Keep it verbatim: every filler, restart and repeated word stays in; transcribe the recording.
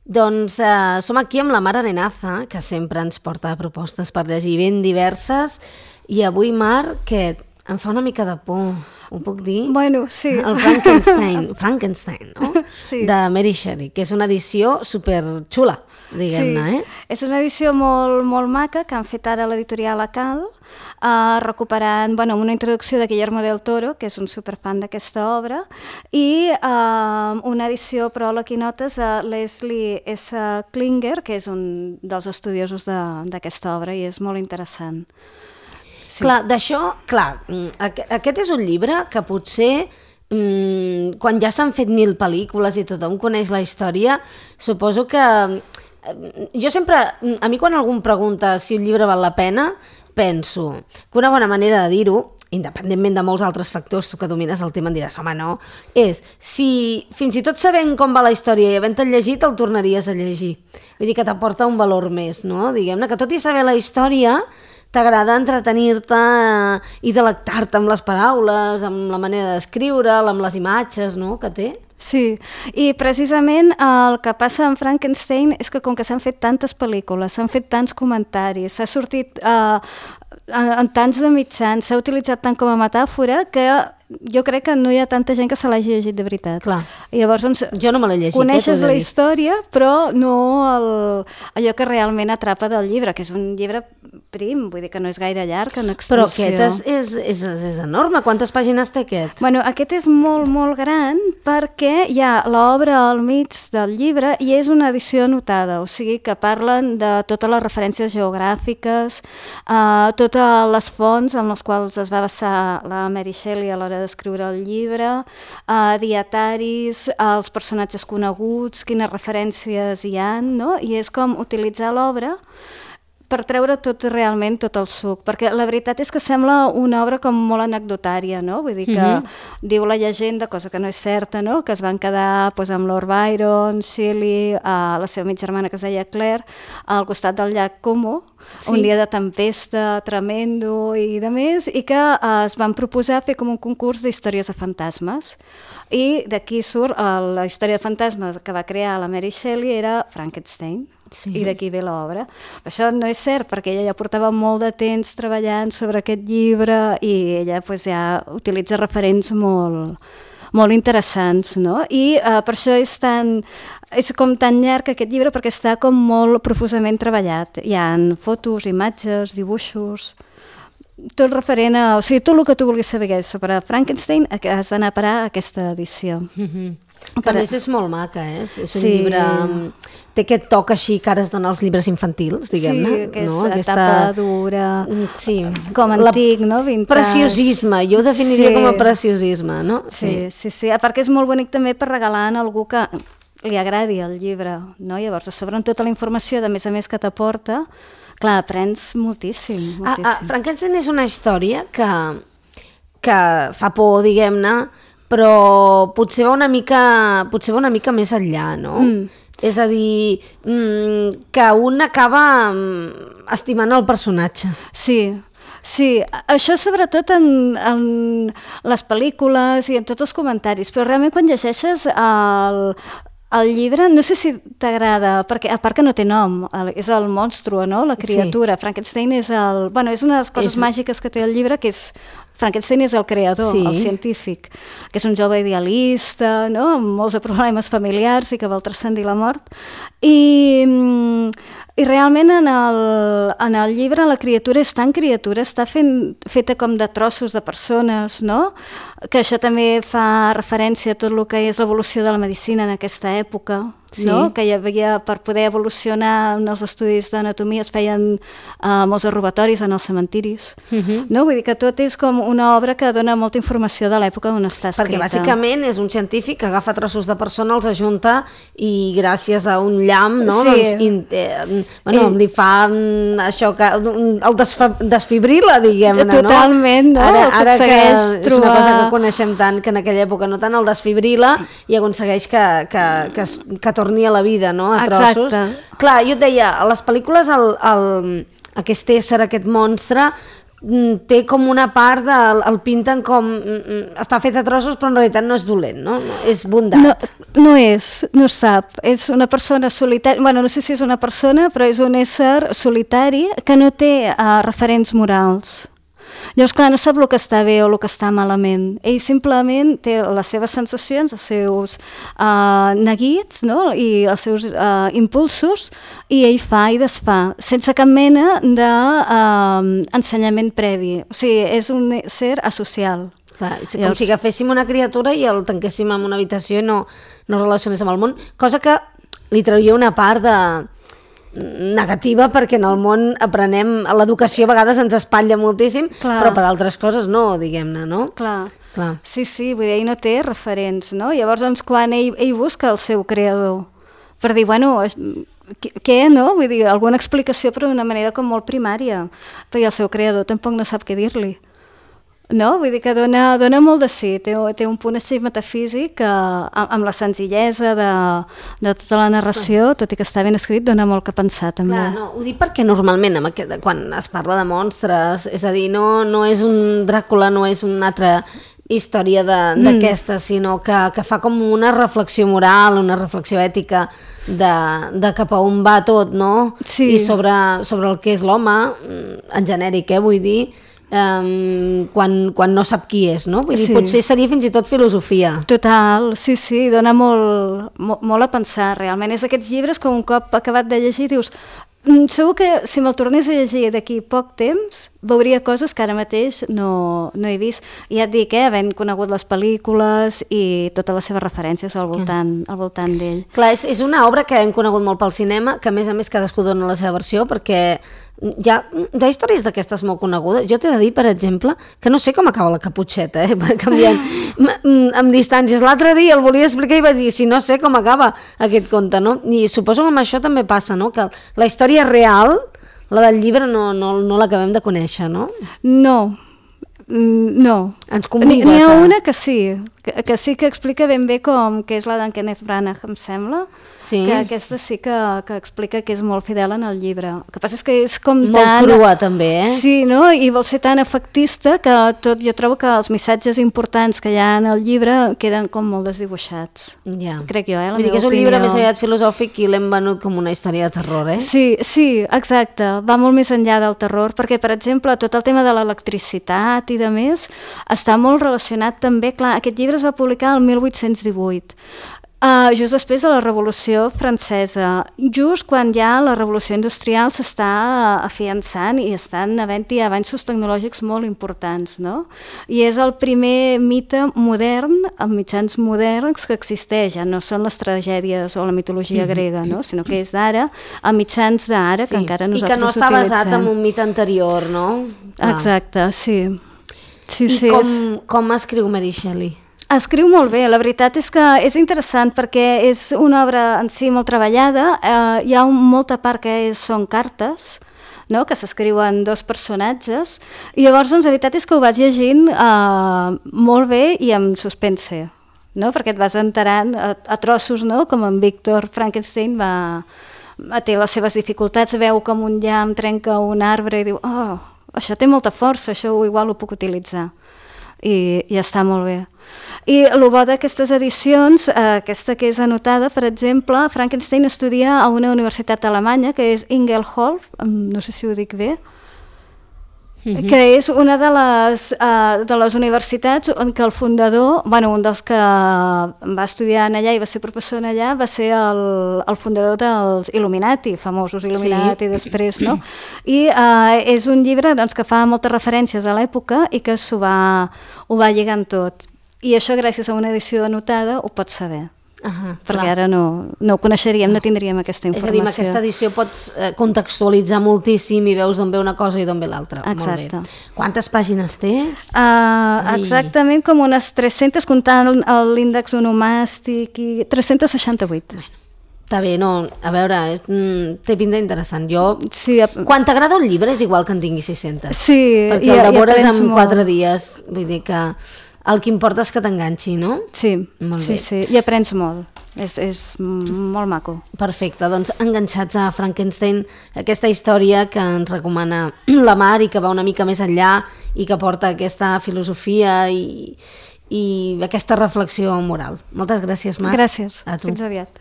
Doncs eh, som aquí amb la Mar Arenaza, que sempre ens porta propostes per llegir ben diverses, i avui, Mar, que em fa una mica de por, ho puc dir? Bueno, sí. El Frankenstein, Frankenstein, no? Sí. De Mary Shelley, que és una edició superxula, diguem-ne, sí. eh? És una edició molt, molt maca que han fet ara l'editorial Acal, eh, recuperant bueno, una introducció de Guillermo del Toro, que és un superfan d'aquesta obra, i eh, una edició pròleg i notes de Leslie S. Klinger, que és un dels estudiosos d'aquesta obra i és molt interessant. Sí. Clar, d'això, clar, aquest és un llibre que potser mmm, quan ja s'han fet mil pel·lícules i tothom coneix la història, suposo que jo sempre, a mi quan algú em pregunta si un llibre val la pena, penso que una bona manera de dir-ho, independentment de molts altres factors, tu que domines el tema em diràs, home, no, és si fins i tot sabent com va la història i havent-te'l llegit, el tornaries a llegir. Vull dir que t'aporta un valor més, no? Diguem-ne que tot i saber la història, t'agrada entretenir-te i delectar-te amb les paraules, amb la manera d'escriure'l, amb les imatges, no?, que té. Sí, i precisament el que passa amb Frankenstein és que com que s'han fet tantes pel·lícules, s'han fet tants comentaris, s'ha sortit eh, en, en tants de mitjans, s'ha utilitzat tant com a metàfora que jo crec que no hi ha tanta gent que se l'hagi llegit de veritat. Clar. I llavors, doncs, jo no me l'he llegit. Coneixes eh, la història, però no el, allò que realment atrapa del llibre, que és un llibre prim, vull dir que no és gaire llarg en extensió. Però aquest és, és, és, és enorme. Quantes pàgines té aquest? Bueno, aquest és molt, molt gran perquè hi ha l'obra al mig del llibre i és una edició anotada, o sigui que parlen de totes les referències geogràfiques, eh, totes les fonts amb les quals es va basar la Mary Shelley a l'hora d'escriure el llibre, eh, dietaris, els personatges coneguts, quines referències hi ha, no? I és com utilitzar l'obra per treure tot realment tot el suc, perquè la veritat és que sembla una obra com molt anecdotària, no? Vull dir que mm-hmm. diu la llegenda, cosa que no és certa, no? Que es van quedar pues, amb Lord Byron, Shelley, eh, la seva mitja germana que es deia Claire, al costat del llac Como, sí. Un dia de tempesta tremendo i de més, i que eh, es van proposar fer com un concurs d'històries de fantasmes. I d'aquí surt eh, la història de fantasmes que va crear la Mary Shelley era Frankenstein. Sí. I d'aquí ve l'obra. Això no és cert, perquè ella ja portava molt de temps treballant sobre aquest llibre i ella pues, ja utilitza referents molt, molt interessants, no? I uh, per això és, tan, és com tan llarg aquest llibre, perquè està com molt profusament treballat. Hi ha fotos, imatges, dibuixos, tot referent a... O sigui, tot el que tu vulguis saber sobre Frankenstein has d'anar a parar a aquesta edició. Mm-hmm. Que a més és molt maca, eh? És un sí. llibre... Té aquest toc així que ara es dona als llibres infantils, diguem-ne. Sí, que és no? Aquesta... etapa dura, sí. com antic, no? Vintage. Preciosisme, jo ho definiria sí. com a preciosisme, no? Sí, sí, sí, sí. A part que és molt bonic també per regalar a algú que li agradi el llibre, no? Llavors, a sobre amb tota la informació, de més a més que t'aporta, clar, aprens moltíssim, moltíssim. Ah, ah, Frankenstein és una història que, que fa por, diguem-ne, però potser va una mica, potser va una mica més enllà, no? Mm. És a dir, mm, que un acaba estimant el personatge. Sí, sí, això sobretot en, en les pel·lícules i en tots els comentaris, però realment quan llegeixes el... El llibre, no sé si t'agrada, perquè a part que no té nom, el, és el monstru, no? La criatura. Sí. Frankenstein és el... Bueno, és una de les coses és... màgiques que té el llibre, que és... Frankenstein és el creador, sí. El científic, que és un jove idealista, no? Amb molts de problemes familiars i que vol transcendir la mort. I, i realment en el, en el llibre la criatura és tan criatura, està fent, feta com de trossos de persones, no? Que això també fa referència a tot el que és l'evolució de la medicina en aquesta època, sí. No? Que hi havia, per poder evolucionar en els estudis d'anatomia es feien uh, molts robatoris en els cementiris, uh-huh. No? Vull dir que tot és com una obra que dona molta informació de l'època on està escrita. Perquè bàsicament és un científic que agafa trossos de persona, els ajunta i gràcies a un llamp, no? Sí. Doncs, in, eh, bueno, I... li fa això que el desfa, desfibrila, diguem-ne, no? Totalment, no? Ara, ara que trobar... és una cosa que coneixem tant, que en aquella època no tant el desfibrila i aconsegueix que, que, que, que torni a la vida, no? A trossos. Exacte. Clar, jo et deia, a les pel·lícules el, el, aquest ésser, aquest monstre, té com una part de... el pinten com... està fet a trossos, però en realitat no és dolent, no? És bondat. No, no és, no sap. És una persona solitària... Bueno, no sé si és una persona, però és un ésser solitari que no té uh, referents morals. Llavors, clar, no sap el que està bé o el que està malament. Ell simplement té les seves sensacions, els seus uh, neguits, no? I els seus uh, impulsos, i ell fa i desfà, sense cap mena d'ensenyament uh, previ. O sigui, és un ser asocial. Clar, com Llavors... si agaféssim una criatura i el tanquéssim en una habitació i no, no relacionés amb el món, cosa que li trauria una part de... negativa, perquè en el món aprenem, l'educació a vegades ens espatlla moltíssim, clar, però per altres coses no, diguem-ne, no? Clar. Clar. Sí, sí, vull dir, ell no té referents, no? Llavors, doncs, quan ell, ell busca el seu creador, per dir, bueno, què, no? Vull dir, alguna explicació, però d'una manera com molt primària, perquè el seu creador tampoc no sap què dir-li. No? Vull dir que dona, dona molt de sí, té, té un punt així metafísic que amb, amb la senzillesa de, de tota la narració, tot i que està ben escrit, dona molt que pensar també. Clar, no, ho dic perquè normalment amb aquest, quan es parla de monstres, és a dir, no, no és un Dràcula, no és una altra història d'aquesta, mm. sinó que, que fa com una reflexió moral, una reflexió ètica de, de cap a on va tot, no? Sí. I sobre, sobre el que és l'home, en genèric, eh, vull dir, Um, quan, quan no sap qui és, no? Vull dir, sí. Potser seria fins i tot filosofia. Total, sí, sí, dona molt, molt, molt a pensar, realment. És aquests llibres que un cop acabat de llegir dius, segur que si me'l tornés a llegir d'aquí poc temps veuria coses que ara mateix no, no he vist. I ja et dic, eh, havent conegut les pel·lícules i totes les seves referències al voltant, al voltant d'ell. Clar, és, és una obra que hem conegut molt pel cinema, que a més a més cadascú dona la seva versió, perquè hi ha, hi ha històries d'aquestes molt conegudes. Jo t'he de dir, per exemple, que no sé com acaba la Caputxeta, eh, canviant amb distàncies. L'altre dia el volia explicar i vaig dir, si no sé com acaba aquest conte, no? I suposo que amb això també passa, no? Que la història real, la del llibre, no, no, no l'acabem de conèixer, no? No, no. Ens convides. N'hi ha una que sí, que, que sí que explica ben bé com, que és la d'en Kenneth Branagh, em sembla, sí. Que aquesta sí que, que explica que és molt fidel en el llibre. El que passa és que és com molt tan... Molt crua, també, eh? Sí, no? I vol ser tan efectista que tot, jo trobo que els missatges importants que hi ha en el llibre queden com molt desdibuixats. Ja. Crec jo, eh? La Vull dir meva que és un opinió. llibre més aviat filosòfic i l'hem venut com una història de terror, eh? Sí, sí, exacte. Va molt més enllà del terror, perquè, per exemple, tot el tema de l'electricitat i de més està molt relacionat també, clar, aquest llibre es va publicar el mil vuit-cents divuit, uh, just després de la Revolució Francesa, just quan ja la Revolució Industrial s'està afiançant i estan havent-hi avanços tecnològics molt importants, no? I és el primer mite modern, amb mitjans moderns, que existeix, ja no són les tragèdies o la mitologia grega, no? Sinó que és d'ara, a mitjans d'ara, sí. Que encara nosaltres utilitzem. I que no està utilitzem. basat en un mite anterior, no? Ah. Exacte, sí. Sí, I sí, com, és... com escriu Mary Shelley? Escriu molt bé, la veritat és que és interessant perquè és una obra en si molt treballada, eh, hi ha un, molta part que és, són cartes, no? Que s'escriuen dos personatges, i llavors doncs, la veritat és que ho vas llegint eh, molt bé i amb suspense, no? Perquè et vas enterant a, a trossos, no? Com en Víctor Frankenstein va, té les seves dificultats, veu com un llamp trenca un arbre i diu, oh, això té molta força, això igual ho puc utilitzar. I, i està molt bé. I el bo d'aquestes edicions, eh, aquesta que és anotada, per exemple, Frankenstein estudia a una universitat alemanya, que és Ingelholf, no sé si ho dic bé, mm-hmm. que és una de les, uh, de les universitats en què el fundador, bueno, un dels que va estudiar en allà i va ser professor en allà, va ser el, el fundador dels Illuminati, famosos Illuminati, sí. Després, no? I uh, és un llibre doncs, que fa moltes referències a l'època i que s'ho va, ho va lligant tot. I això, gràcies a una edició anotada, ho pots saber. Uh-huh, perquè clar. Ara no, no ho coneixeríem, no tindríem aquesta informació. És a dir, amb aquesta edició pots eh, contextualitzar moltíssim i veus d'on ve una cosa i d'on ve l'altra. Exacte. Quantes pàgines té? Uh, exactament com unes tres-centes, comptant l'índex onomàstic, i tres-cents seixanta-vuit. Bueno, està bé, no, a veure, és, mm, té pinta interessant. Jo, sí, a... quan t'agrada un llibre és igual que en tingui sis-centes. Sí, perquè el devores en quatre dies, vull dir que... El que importa és que t'enganxi, no? Sí, molt sí, bé. Sí, i aprens molt. és, és molt maco. Perfecte, doncs enganxats a Frankenstein, aquesta història que ens recomana la Mar i que va una mica més enllà i que porta aquesta filosofia i, i aquesta reflexió moral. Moltes gràcies, Mar. Gràcies, a tu. Fins aviat.